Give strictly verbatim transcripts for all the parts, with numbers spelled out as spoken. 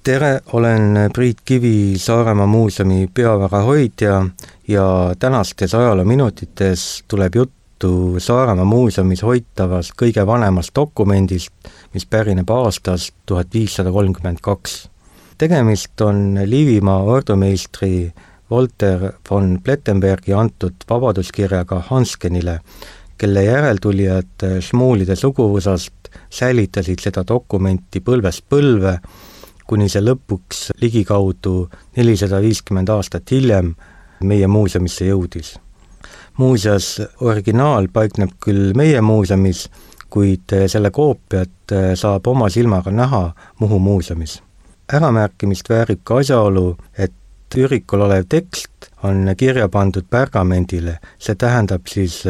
Tere, olen Priit Kivi, Saaremaa muuseumi peavara hoidja ja tänastes ajaloominutites tuleb juttu Saaremaa muuseumis hoitavast kõige vanemast dokumendist, mis pärineb aastast tuhat viissada kolmkümmend kaks. Tegemist on Liivimaa ordumeistri Walter von Plettenbergi antud vabaduskirjaga Hanskenile, kelle järeltulijad Šmuulide suguvõsast säilitasid seda dokumenti põlvest põlve, kuni see lõpuks ligikaudu nelisada viiskümmend aastat hiljem meie muuseumisse jõudis. Muuseas, originaal paikneb küll meie muuseumis, kuid selle koopiat saab oma silmaga näha Muhu muuseumis. Äramärkimist väärib ka asjaolu, et ürikul olev tekst on kirja pandud pergamendile, see tähendab siis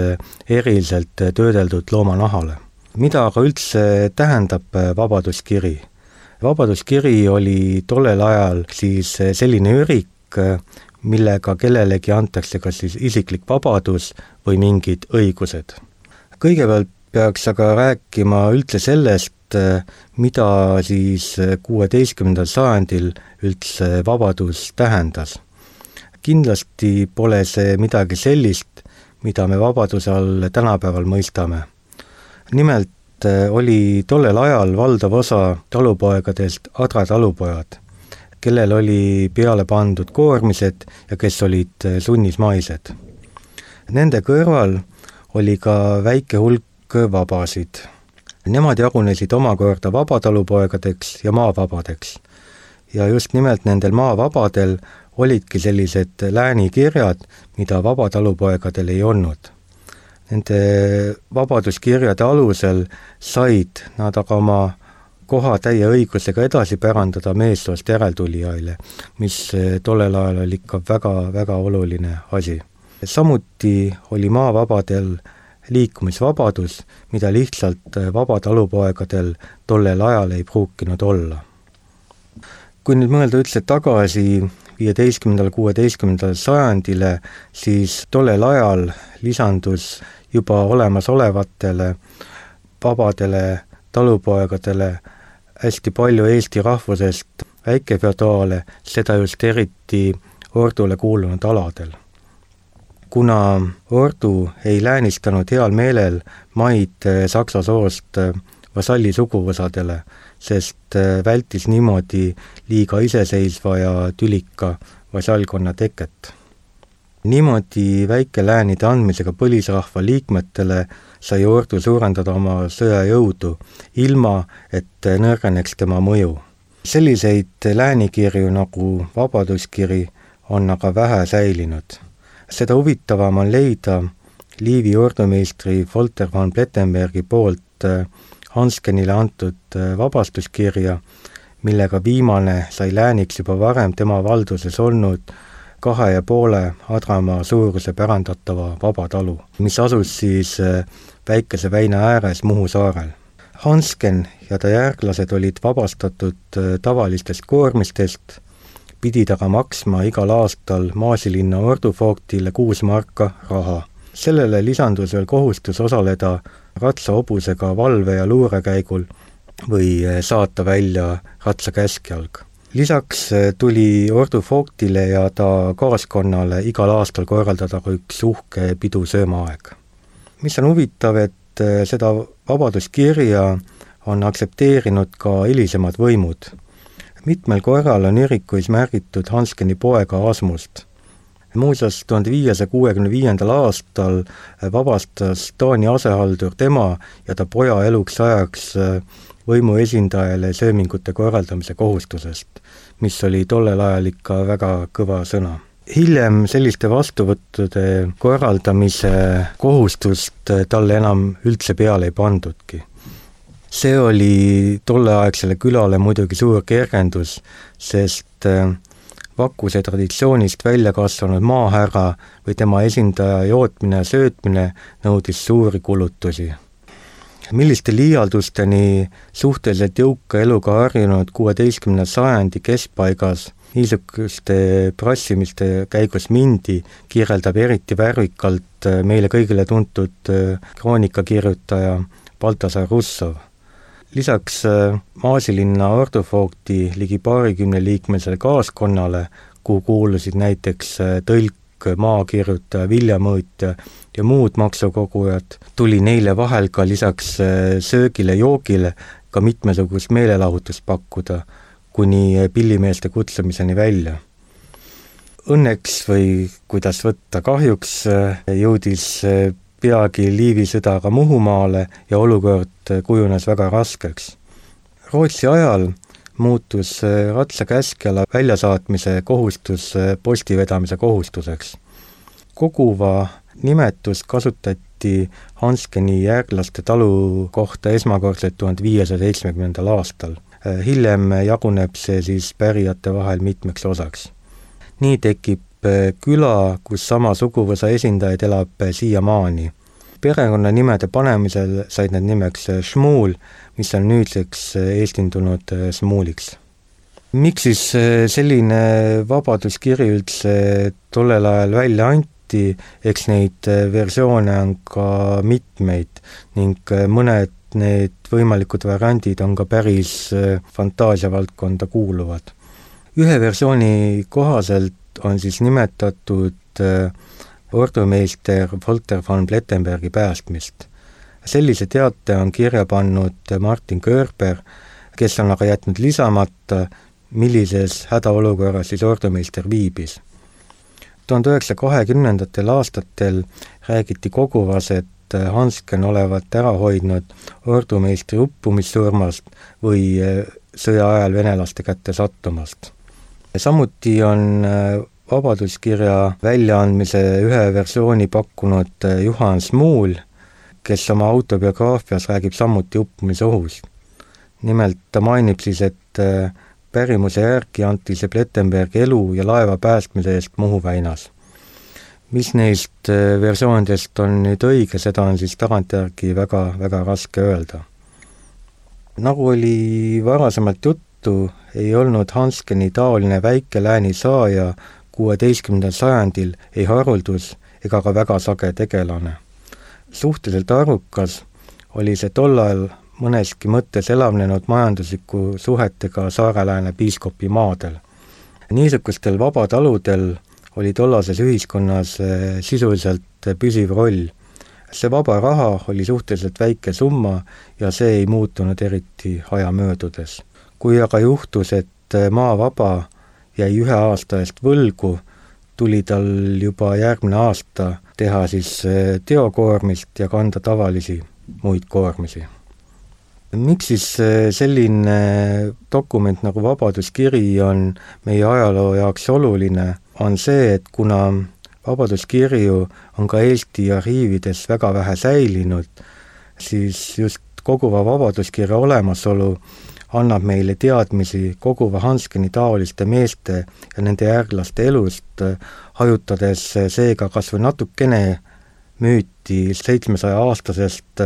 eriliselt töödeldud loomanahale. Mida aga üldse tähendab vabaduskiri? Vabaduskiri oli tollel ajal siis selline ürik, millega kellelegi antakse kas siis isiklik vabadus või mingid õigused. Kõigepealt peaks aga rääkima üldse sellest, mida siis kuueteistkümnendal sajandil üldse vabadus tähendas. Kindlasti pole see midagi sellist, mida me vabaduse all tänapäeval mõistame. Nimelt oli tollel ajal valdav osa talupoegadest Adra talupojad, kellel oli peale pandud koormised ja kes olid sunnismaised. Nende kõrval oli ka väike hulk vabasid. Nemad jagunesid omakorda vabatalupoegadeks ja maavabadeks. Ja just nimelt nendel maavabadel olidki sellised läänikirjad, mida vabatalupoegadel ei olnud. Nende vabaduskirjade alusel said nad aga oma koha täie õigusega edasi pärandada meessoost järeltulijaile, mis tollel ajal oli ikka väga, väga oluline asi. Samuti oli maavabadel liikumisvabadus, mida lihtsalt vabatalupoegadel tollel ajal ei pruukinud olla. Kui nüüd mõelda üldse tagasi viieteistkümnendal kuueteistkümnendal sajandile, siis tollel ajal lisandus juba olemasolevatele vabadele talupoegadele hästi palju Eesti rahvusest väikefeodaale, seda just eriti ordule kuulunud aladel. Kuna ordu ei läänistanud heal meelel maid Saksa soost vasalli suguvõsadele, sest vältis niimoodi liiga iseseisva ja tülika vasallkonna teket. Niimoodi väikeläänide andmisega põlisrahva liikmetele sai ordu suurendada oma sõjajõudu, ilma et nõrgeneks tema mõju. Selliseid läänikirju nagu vabaduskiri on aga vähe säilinud. Seda huvitavam on leida Liivi ordumeistri Walter von Plettenbergi poolt Hanskenile antud vabastuskirja, millega viimane sai lääniks juba varem tema valduses olnud kahe ja poole Adramaa suuruse pärandatava vabatalu, mis asus siis väikese väina ääres Muhu saarel. Hansken ja ta järglased olid vabastatud tavalistest koormistest, pidid aga maksma igal aastal Maasilinna ordufooktile kuus marka raha. Sellele lisandus veel kohustus osaleda ratsaobusega valve- ja luurekäigul või saata välja ratsakäskjalg. Lisaks tuli ordufooktile ja ta kaaskonnale igal aastal korraldada üks uhke pidusöömaaeg. Mis on huvitav, et seda vabaduskirja on aktsepteerinud ka hilisemad võimud. Mitmel korral on ürikuis märgitud Hanskeni poega Asmust. Muuseas, tuhande viiesaja kuuekümne viiendal aastal vabastas Taani asehaldur tema ja ta poja eluks ajaks võimu esindajale söömingute korraldamise kohustusest, mis oli tollel ajal ikka väga kõva sõna. Hiljem selliste vastuvõttude korraldamise kohustust talle enam üldse peale ei pandudki. See oli tolleaegsele külale muidugi suur kergendus, sest Vakuse traditsioonist välja kasvanud maahärra või tema esindaja jootmine ja söötmine nõudis suuri kulutusi. Milliste liialdusteni suhteliselt jõuka eluga harjunud kuueteistkümnenda sajandi keskpaigas niisuguste prassimiste käigus mindi, kirjeldab eriti värvikalt meile kõigile tuntud kroonikakirjutaja Baltasar Russov. Lisaks Maasilinna ortofoogti ligi paarikümne liikmelisele kaaskonnale, kuhu kuulusid näiteks tõlk, maakirjutaja, viljamõõtja ja muud maksukogujad, tuli neile vahel ka lisaks söögile, joogile ka mitmesugust meelelahutust pakkuda, kuni pillimeeste kutsumiseni välja. Õnneks või kuidas võtta kahjuks jõudis peagi Liivi sõda ka Muhumaale ja olukord kujunes väga raskeks. Rootsi ajal muutus ratsakäskjala väljasaatmise kohustus postivedamise kohustuseks. Koguva nimetus kasutati Hanskeni järglaste talu kohta esmakordselt tuhande viiesaja seitsmekümnendal aastal. Hiljem jaguneb see siis pärijate vahel mitmeks osaks. Nii tekib küla, kus sama suguvõsa esindajaid elab siiamaani. Perekonna nimede panemisel said need nimeks Šmuul, mis on nüüdseks eestindunud Smuuliks. Miks siis selline vabaduskiri üldse tollel ajal välja anti, eks neid versioone on ka mitmeid ning mõned need võimalikud variandid on ka päris fantaasiavaldkonda kuuluvad. Ühe versiooni kohaselt on siis nimetatud ordumeister Volter von Plettenbergi päästmist. Sellise teate on kirja pannud Martin Körber, kes on aga jätnud lisamata, millises hädaolukorras siis ordumeister viibis. tuhande üheksasaja kahekümnendatel aastatel räägiti koguvas, et Hansken olevat ära hoidnud ordumeistri uppumissurmast või sõja ajal venelaste kätte sattumast. Samuti on vabaduskirja väljaandmise ühe versiooni pakkunud Juhan Smuul, kes oma autobiograafias räägib samuti uppumisohust. Nimelt ta mainib siis, et pärimuse järgi anti see Plettenbergi elu ja laeva päästmise eest Muhu väinas. Mis neist versioonidest on nüüd õige, seda on siis tagantjärgi väga, väga raske öelda. Nagu oli varasemalt juttu, ei olnud Hanskeni taoline väike lääni saaja kuueteistkümnendal sajandil ei haruldus ega ka väga sage tegelane. Suhteliselt arvukas oli see tollal mõneski mõttes elavnenud majandusliku suhetega Saare-Lääne piiskopi maadel. Niisugustel vabataludel oli tollases ühiskonnas sisuliselt püsiv roll. See vaba raha oli suhteliselt väike summa ja see ei muutunud eriti aja möödudes. Kui aga juhtus, et maa vaba jäi ühe aasta eest võlgu, tuli tal juba järgmine aasta teha siis teokoormist ja kanda tavalisi muid koormisi. Miks siis selline dokument nagu vabaduskiri on meie ajaloo jaoks oluline, on see, et kuna vabaduskirju on ka Eesti arhiivides väga vähe säilinud, siis just koguva vabaduskirja olemasolu annab meile teadmisi koguva Hanskeni taoliste meeste ja nende järglaste elust, hajutades seega kas või natukene müüti seitsmesaja aastasest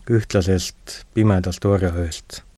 ühtlasest pimedast orjaööst.